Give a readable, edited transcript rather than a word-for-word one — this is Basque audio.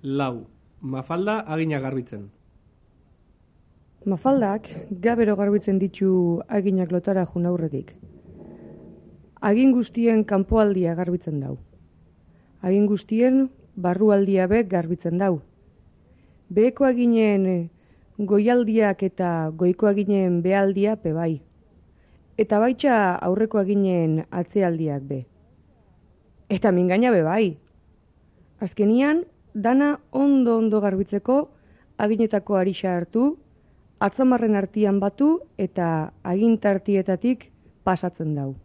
Lau. Mafalda agina garbitzen. Mafaldak gabero garbitzen ditu aginak lotara jun aurretik. Agin guztien kanpoaldia garbitzen dau. Agin guztien barrualdia be garbitzen dau. Beheko aginen goialdiak eta goiko aginen behaldia pe bai. Eta baitxa aurreko aginen atzealdiak be. Eta mingaina be bai. Azkenian, dana ondo garbitzeko aginetako arixa hartu, atzamarren artian batu eta agintartietatik pasatzen dau.